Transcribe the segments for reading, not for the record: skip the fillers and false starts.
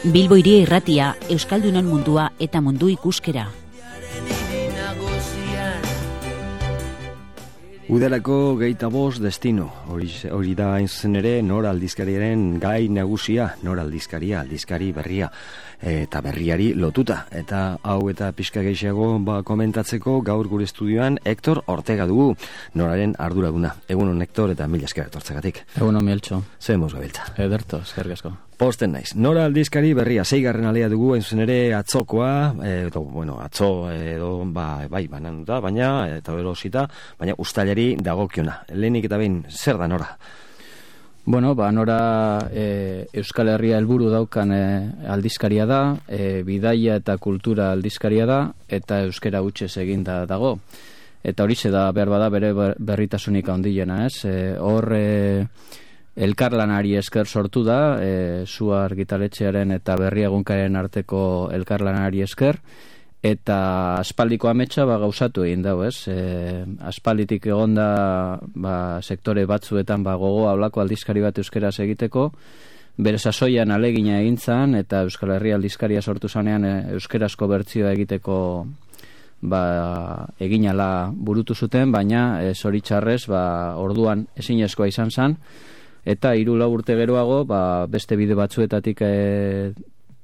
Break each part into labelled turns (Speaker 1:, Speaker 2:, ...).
Speaker 1: Bilbo Hiria Irratia, Euskaldunon mundua eta mundu ikuskera.
Speaker 2: Udarako 25 destino, hori da hain zuzen ere Nor aldizkariaren gai nagusia, Nor aldizkari berria eta berriari lotuta. Eta hau eta pixka gehiago komentatzeko gaur gure estudioan Hector Ortega dugu, Noraren arduraduna. Egunon Hector eta mila esker etortzagatik.
Speaker 3: Egunon Mieltxo.
Speaker 2: Zer moz gabiltza.
Speaker 3: Ederto, eskerrik asko.
Speaker 2: Posten naiz. Nora aldizkari berria, 6. alea dugu, hain zuzen ere atzokoa, atzo edo bai bananuta, baina eta erosita, baina uztailari dagokiona. Lehenik eta behin, zer da Nora?
Speaker 3: Bueno, Nora Euskal Herria helburu daukan aldizkaria da, bidaia eta kultura aldizkaria da, eta euskera hutsez eginda dago. Eta horixe da behar bada bere berritasunik handiena, ez? Elkarlanari esker sortu da, Sua argitaletxearen eta Berria egunkaren arteko elkarlanari esker, eta aspaldiko ametsa gauzatu egin dau, ez? Aspalditik egonda sektore batzuetan gogoa olako aldizkari bat euskeraz egiteko, bere sasoian alegina egintzan, eta Euskal Herria aldizkaria sortu zanean euskerazko bertsioa egiteko eginala burutu zuten, baina zoritxarrez orduan ezinezkoa izan zen, eta 3-4 urte geroago beste bide batzuetatik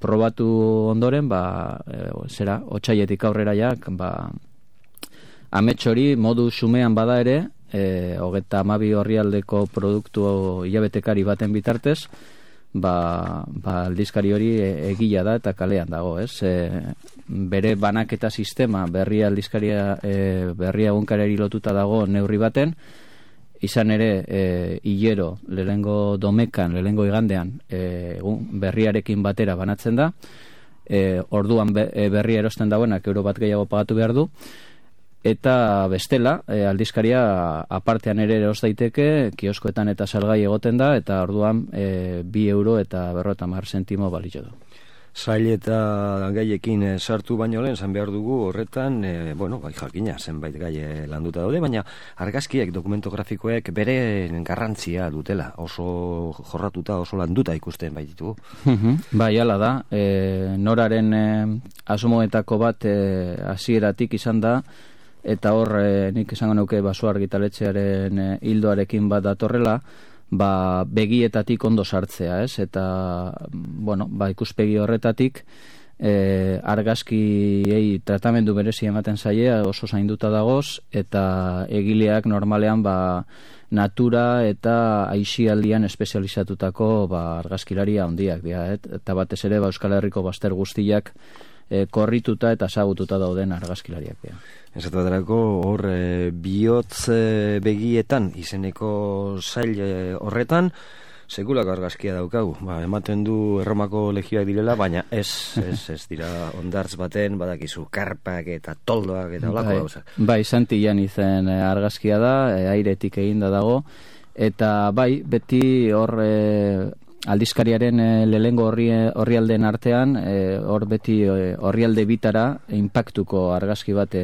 Speaker 3: probatu ondoren otsailetik aurrera amets hori modu xumean bada ere 32 orrialdeko produktu hilabetekari baten bitartez aldizkari hori egila da eta kalean dago, ez? Bere banaketa sistema Berria aldizkaria Berria egunkarari lotuta dago neurri baten, izan ere hilero lehenengo domekan, lehenengo igandean berriarekin batera banatzen da, orduan berria erosten dagoenak euro bat gehiago pagatu behar du, eta bestela aldizkaria apartean ere eros daiteke, kioskoetan eta salgai egoten da, eta orduan 2 euro eta 50 zentimo balio du.
Speaker 2: Zail eta gaiekin sartu baino lehen, zan behar dugu horretan, jakina, zenbait gai landuta daude, baina argazkiek, dokumentografikoek bere garrantzia dutela, oso jorratuta, oso landuta ikusten baititu.
Speaker 3: Bai, hala da, Noraren asmoetako bat hasieratik izan da, eta hor nik esango nuke Sua argitaletxearen hildoarekin bat datorrela, begietatik ondo sartzea, ez? Eta, ikuspegi horretatik argazkiei tratamendu berezi ematen zaie, oso zainduta dagoz, eta egileak normalean natura eta aisialdian espezializatutako argazkilaria handiak dira, eta batez ere Euskal Herriko bazter guztiak korrituta eta ezagututa dauden argazkilariak dira.
Speaker 2: Esatu baterako hor bihotz begietan izeneko zail horretan sekulako argazkia daukagu. Ematen du Erromako legioak direla, baina ez dira ondartz baten, badakizu karpak eta toldoak eta olako gauzak.
Speaker 3: Bai, Santillan izen argazkia da, airetik eginda dago, eta beti hor aldizkariaren lehengo orrialdeen artean, hor beti orrialde bitara inpaktuko argazki bat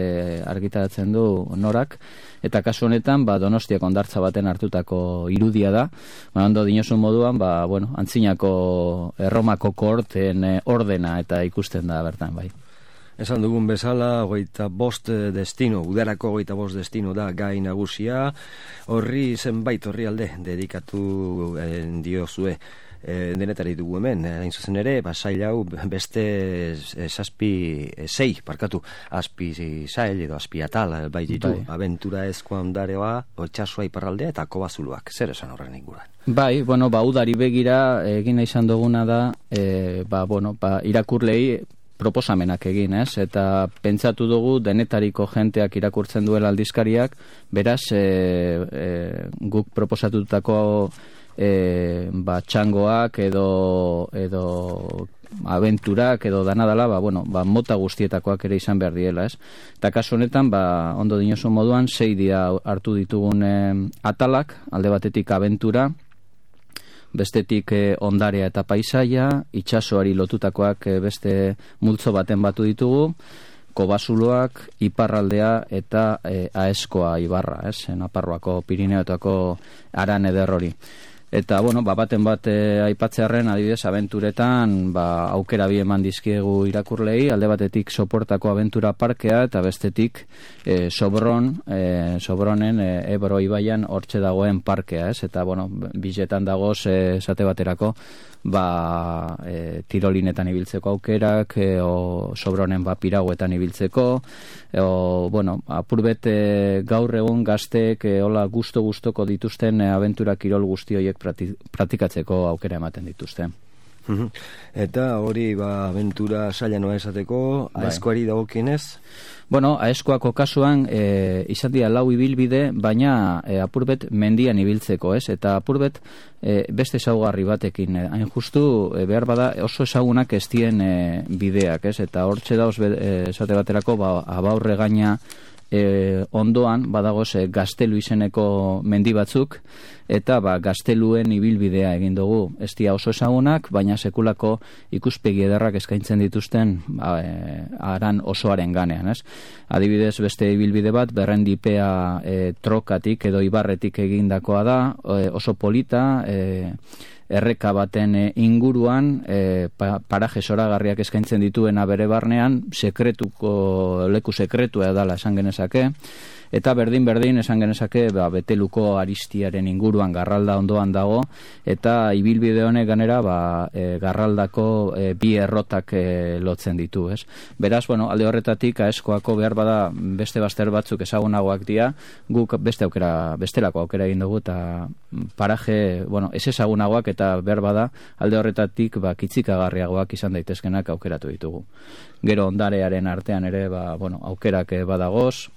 Speaker 3: argitaratzen du Norak, eta kasu honetan Donostiako hondartza baten hartutako irudia da. Ondo dinosun moduan, antzinako Erromako kohorten ordena eta ikusten da bertan, bai.
Speaker 2: Esan dugun bezala, 25 destino, udarako 25 destino da gai nagusia, horri zenbait orrialde dedikatu diozue. Denetari dugu hemen, hain zuzen ere, sail hau beste 6 azpi sail edo azpi atal baititu, abentura ezkoa ondareoa, otxasua iparraldea eta kobazuluak, zer esan horren inguruan?
Speaker 3: Udari begira egin izan duguna da, irakurlei proposamenak egin, ez? Eta pentsatu dugu denetariko jenteak irakurtzen duela aldizkariak, beraz, guk proposatutako txangoak edo abenturak edo danadala, mota guztietakoak ere izan behar diela, ez? Eta kasu honetan, ondo dinosu moduan, 6 dira hartu ditugun atalak, alde batetik abentura, bestetik ondarea eta paisaia, itsasoari lotutakoak beste multzo baten batu ditugu, kobasuloak, iparraldea eta Aezkoa ibarra, ez? Nafarroako Pirineoetako aran eder hori. Eta, bueno, baten bat aipatzearren, adibidez, abenturetan, aukera bi eman dizkiegu irakurlei, alde batetik Soportako abentura parkea, eta bestetik Sobronen Ebro ibaian hortxe dagoen parkea, ez? Eta, bueno, biletan dagoz, esate baterako, tirolinetan ibiltzeko aukerak, o Sobronen piragüetan ibiltzeko, bueno, apurbet gaur egun gazteek hola gustoko dituzten abentura kirol guzti horiek praktikatzeko aukera ematen dituzte.
Speaker 2: Eta hori abentura saila noa esateko, aeskoari dagokienez?
Speaker 3: Bueno, aeskoako kasuan izan dira 4 ibilbide, baina apurbet mendian ibiltzeko, ez? Eta apurbet beste ezaugarri batekin, hain justu behar bada oso ezagunak ez dien bideak, ez? Eta hortxe dauz esate baterako abaurre gaina ondoan badagoz Gaztelu izeneko mendi batzuk, eta Gazteluen ibilbidea egin dugu. Ez dira oso ezagunak, baina sekulako ikuspegi ederrak eskaintzen dituzten aran osoaren ganean, ez? Adibidez, beste ibilbide bat, Berrendipea trokatik edo ibarretik egindakoa da, oso polita, erreka baten inguruan, paraje zoragarriak eskaintzen dituena bere barnean, leku sekretua edala esan genezake, eta berdin esan genezake Beteluko Aristiaren inguruan Garralda ondoan dago, eta ibilbide honek ganera Garraldako bi errotak lotzen ditu, ez? Beraz, bueno, alde horretatik aeskoako behar bada beste bazter batzuk ezagunagoak dira, guk bestelako aukera egin dugu, eta paraje, bueno, ez ezagunagoak eta behar bada alde horretatik kitzikagarriagoak izan daitezkenak aukeratu ditugu. Gero ondarearen artean ere, bueno, aukerak badagoz,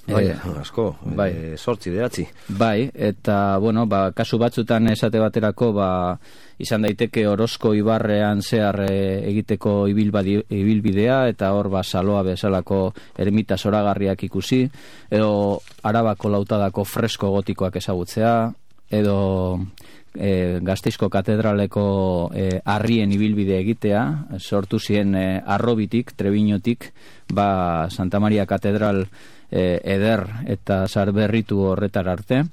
Speaker 2: asko, 8-9.
Speaker 3: Bai, eta, bueno, kasu batzutan esate baterako, izan daiteke Orozko ibarrean zehar egiteko ibilbidea, eta hor Saloa bezalako ermita zoragarriak ikusi, edo Arabako lautadako fresko gotikoak ezagutzea, edo Gasteizko katedraleko harrien ibilbide egitea, sortu ziren Arrobitik, Trebiñotik, Santa Maria katedral eder eta sarberritu horretar arte.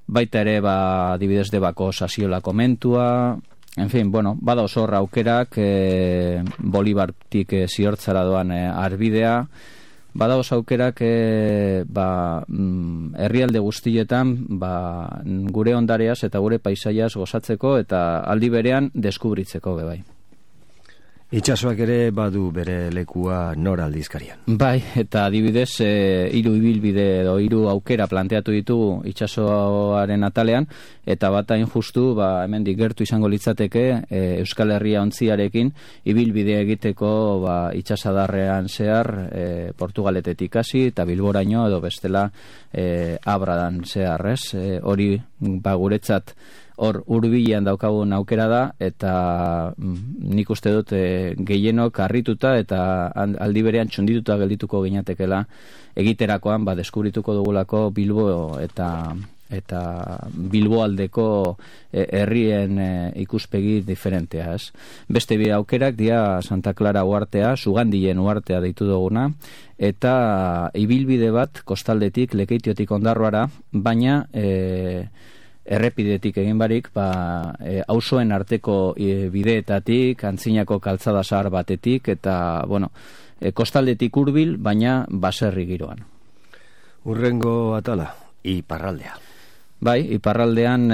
Speaker 3: Baita ere, adibidez Debako Sasiola komentua, en fin, bueno, bada oso aukerak, Bolibartik ziortzara doan arbidea, bada oso aukerak herrialde guztietan gure ondareaz eta gure paisaiaz gozatzeko eta aldi berean deskubritzeko bai.
Speaker 2: Itxasoak ere badu bere lekua nora aldizkarian.
Speaker 3: Bai, eta adibidez 3 ibilbide edo 3 aukera planteatu ditugu itxasoaren atalean, eta hain justu hemendik gertu izango litzateke Euskal Herria ontziarekin ibilbide egiteko itxasadarrean zehar Portugaletetik hasi eta Bilboraino edo bestela Abradan zehar, ez? Hori guretzat hor hurbilean daukagun aukera da, eta nik uste dut gehienok harrituta eta aldi berean txundituta geldituko ginatekela egiterakoan deskubrituko dugulako Bilbo eta Bilboaldeko herrien ikuspegi diferentea, ez? Beste bi aukerak dira Santa Clara uhartea, Sugandien uhartea deitu duguna, eta ibilbide bat kostaldetik Lekeitiotik Ondarroara, baina errepidetik egin barik, auzoen arteko bideetatik, Antzinako kaltzada zahar batetik, eta, bueno, kostaldetik hurbil, baina baserri giroan.
Speaker 2: Urrengo atala, iparraldea.
Speaker 3: Bai, iparraldean,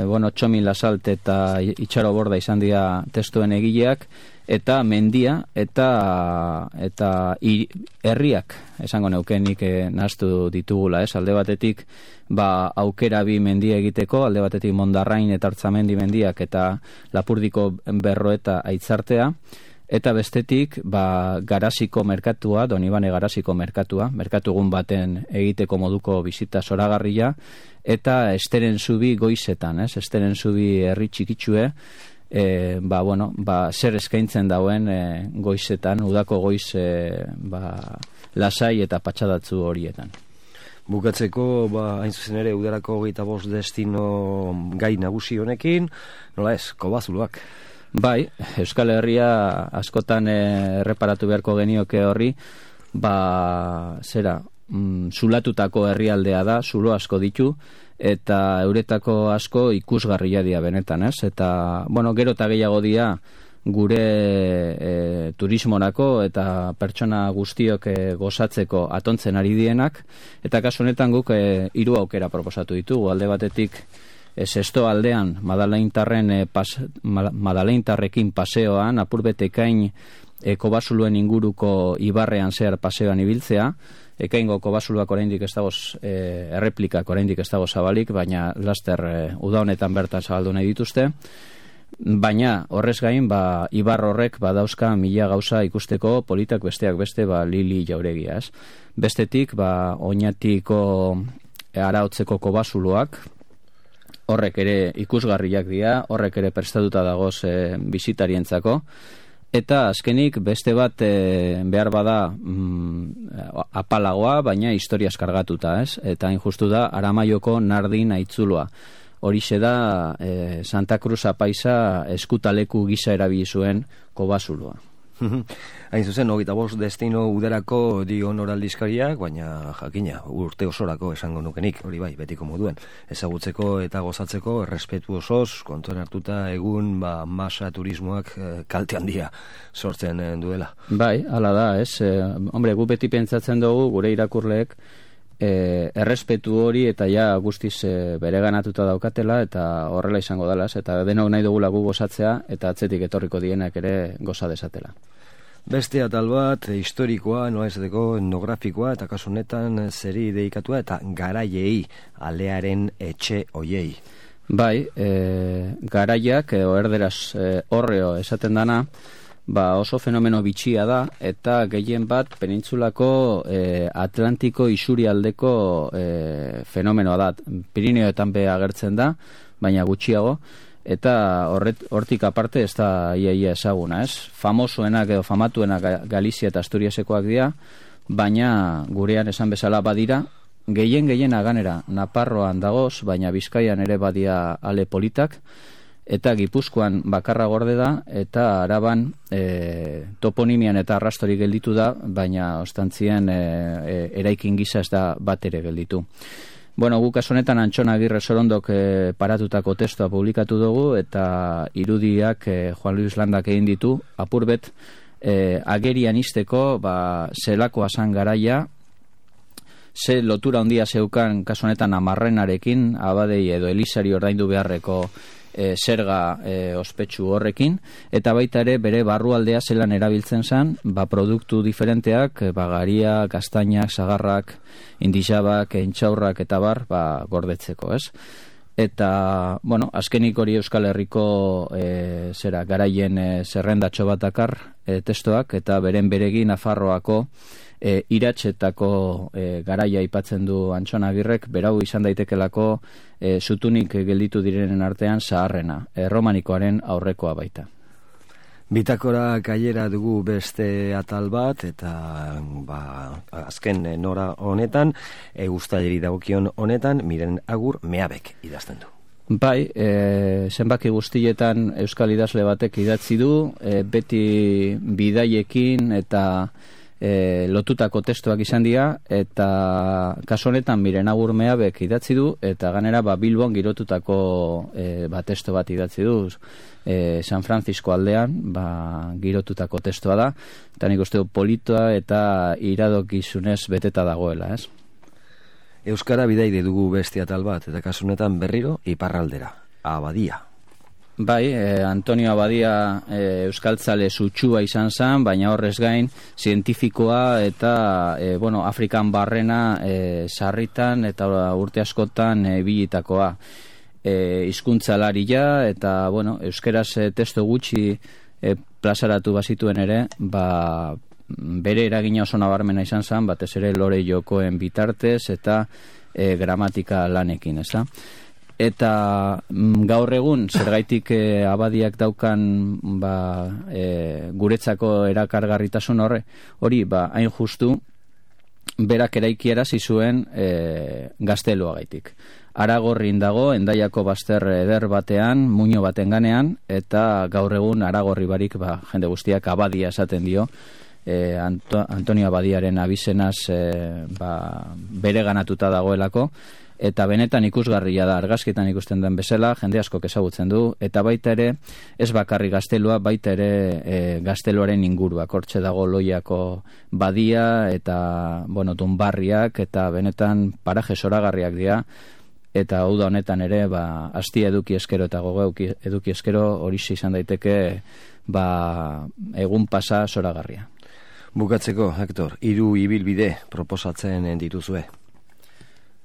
Speaker 3: Txomin Lasalt eta Itxaro Borda izan dira testuen egileak, eta mendia, eta herriak, esango neukenik nahaztu ditugula, ez? Alde batetik, aukera bi mendia egiteko, alde batetik Mondarrain eta Artzamendi mendiak eta Lapurdiko Berroeta Aitzartea, eta bestetik, Garaziko merkatua, Donibane Garaziko merkatua, merkatugun baten egiteko moduko bizita zoragarria, eta Esteren Zubi goizetan, ez? Esteren Zubi herri txikitsue, zer eskaintzen dauen goizetan, udako goiz lasai eta patxadatzu horietan.
Speaker 2: Bukatzeko, hain zuzen ere, udarako 25 destino gai nagusi honekin, nola ez, Kobazuloak.
Speaker 3: Bai, Euskal Herria askotan erreparatu beharko genioke horri, zulatutako herrialdea da, zulo asko ditu, eta euretako asko ikusgarria dira benetan, ez? Eta, gero eta gehiago dira gure turismorako eta pertsona guztiok gozatzeko atontzen ari dienak, eta kasu honetan guk 3 aukera proposatu ditugu. Alde batetik Sesto aldean Madaleintarrekin paseoan, apurbet ekain kobasuluen inguruko ibarrean zehar paseoan ibiltzea. Ekaingo kobasuluak oraindik ez dago, erreplikak oraindik ez dago zabalik, baina laster uda honetan bertan zabaldu nahi dituzte. Baina horrez gain, ibar horrek badauzka 1000 gauza ikusteko, politak besteak beste, Lili Jauregia, ez? Bestetik, Oñatiko Araotzeko kobasuluak, horrek ere ikusgarriak dira, horrek ere prestatuta dagoz bisitarientzako. Eta azkenik beste bat behar bada apalagoa, baina historiaz kargatuta, ez? Eta hain justu da Aramaioko Nardin Aitzuloa. Horixe da Santa Cruz apaisa eskutaleku gisa erabili zuen kobasuloa.
Speaker 2: Hain zuzen, 25 destino udarako dio aldizkariak, baina jakina, urte osorako esango nukenik, hori bai, betiko moduen. Ezagutzeko eta gozatzeko errespetu osoz, kontuan hartuta egun masa turismoak kalte handia sortzen duela.
Speaker 3: Bai, hala da, ez? Gu beti pentsatzen dugu, gure irakurleek, errespetu hori eta guztiz bereganatuta daukatela, eta horrela izango dela, eta denok nahi dugula gu gozatzea, eta atzetik etorriko dienak ere goza desatela.
Speaker 2: Beste atal bat, historikoa, noaizateko etnografikoa, eta kasu honetan zeri dedikatua, eta garaiei, alearen etxe oiei.
Speaker 3: Bai, garaiak, erderaz horreo esaten dana, oso fenomeno bitxia da, eta gehien bat penintzulako Atlantiko isurialdeko fenomenoa da. Pirineoetan be agertzen da, baina gutxiago, eta hortik aparte ez da iaia ezaguna, ez? Famosoenak edo famatuenak Galizia eta Asturiasekoak dira, baina gurean esan bezala badira, gehien aganera Naparroan dagoz, baina Bizkaian ere badia ale politak, eta Gipuzkoan bakarra gorde da, eta Araban toponimian eta arrastorik gelditu da, baina ostantzien eraikin gisa ez da bat ere gelditu. Guk honetan Antxon Agirre Sorondok paratutako testua publikatu dugu, eta irudiak Juan Luis Landak egin ditu, apurbet agerian izteko zelakoa zan garaia, ze lotura handia zeukan kasu honetan Amarrenarekin, abadei edo Elizari ordaindu beharreko zerga ospetsu horrekin, eta baita ere bere barrualdea zelan erabiltzen zen, produktu diferenteak, garia, kastainak, sagarrak, indizabak, entxaurrak eta gordetzeko, ez? Eta, azkenik hori Euskal Herriko garaien zerrendatxo bat dakar testoak, eta beregin Nafarroako iratxetako garaia aipatzen du Antxon Agirrek, berau izan daitekelako zutunik gelditu direnen artean zaharrena, romanikoaren aurrekoa baita.
Speaker 2: Bitakora gailera dugu beste atal bat, eta azken nora honetan, uztaileri dagokion honetan, Miren Agur Meabek idazten du.
Speaker 3: Bai, zenbaki guztietan euskal idazle batek idatzi du, beti bidaiekin eta lotutako testuak izan dira, eta kasu honetan Miren Agur Meabek idatzi du, eta ganera Bilbon girotutako testu bat idatzi du, San Francisco aldean girotutako testua da, eta nik uste du politoa eta iradokizunez beteta dagoela, ez?
Speaker 2: Euskara bidaide dugu beste atal bat, eta kasu honetan berriro iparraldera, Abadia.
Speaker 3: Bai, Antonio Abadia euskaltzale sutsua izan zen, baina horrez gain zientifikoa eta Afrikan barrena sarritan eta urte askotan bilitakoa. Hizkuntzalaria eta euskeraz testu gutxi plazaratu bazituen ere, bere eragina oso nabarmena izan zen, batez ere lore jokoen bitartez eta gramatika lanekin, ez da? Eta gaur egun zergaitik Abadiak daukan guretzako erakargarritasun hori hain justu berak eraikiarazi zuen gazteluagaitik. Aragorrin dago, Hendaiako bazter eder batean, muino baten ganean, eta gaur egun Aragorri barik jende guztiak Abadia esaten dio, Antonio Abadiaren abizenaz bere ganatuta dagoelako, eta benetan ikusgarria da, argazkietan ikusten den bezala, jende askok ezagutzen du, eta baita ere, ez bakarri gaztelua, baita ere gazteluaren inguruak, hortxe dago Loiako badia, eta, bueno, Dunbarriak, eta benetan paraje zoragarriak dira, eta uda honetan ere, astia eduki eskero eta gogo eduki eskero, horixe izan daiteke, egun pasa zoragarria.
Speaker 2: Bukatzeko, Hector, 3 ibilbide proposatzen dituzue.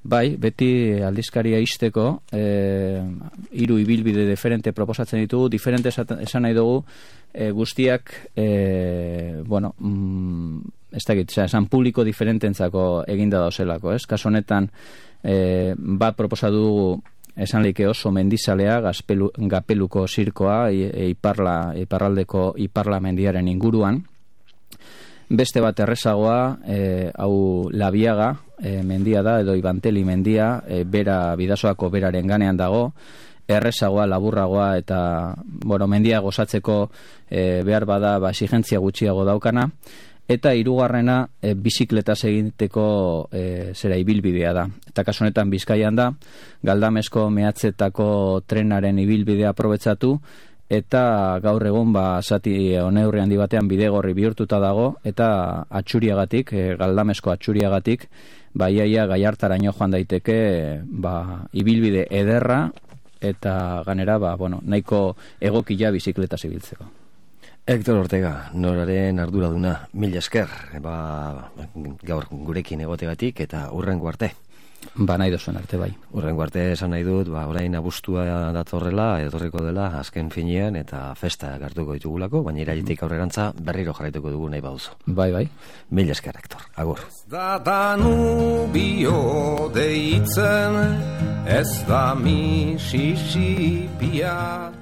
Speaker 3: Bai, beti aldizkaria izteko 3 ibilbide diferente proposatzen ditugu, diferente esan nahi dugu, guztiak, bueno, ez dakit, esan publiko diferententzako eginda dauzelako, ez? Kaso honetan, bat proposatu dugu, esan leike oso mendizalea, Gapeluko zirkoa, iparraldeko Iparla mendiaren inguruan. Beste bat errezagoa, hau Labiaga mendia da, edo Ibanteli mendia, Bidasoako beraren ganean dago, errezagoa, laburragoa, eta, bueno, mendia gozatzeko behar bada, exigentzia gutxiago daukana, eta 3. Bizikletaz egiteko ibilbidea da. Eta kasu honetan Bizkaian da, Galdamesko mehatzetako trenaren ibilbidea aprobetxatu, eta gaur egun zati oneurri handi batean bidegorri bihurtuta dago, eta atxuriagatik, Galdamesko atxuriagatik, iaia Gaiartaraino joan daiteke ibilbide ederra, eta ganera, bueno, nahiko egokila bizikletaz ibiltzeko.
Speaker 2: Hector Ortega, noraren arduraduna, mila esker, gaur gurekin egotegatik eta hurrengo arte.
Speaker 3: Nahi duzuen arte, bai.
Speaker 2: Hurrengo arte esan nahi dut, orain abuztua datorrela, etorriko dela, azken finean, eta festa gartuko ditugulako, baina irailetik aurrerantza berriro jarraituko dugu nahi baduzu.
Speaker 3: Bai.
Speaker 2: Mila esker, Hector, agur.
Speaker 4: Da Danubio deitzen, ez da Mississippiak.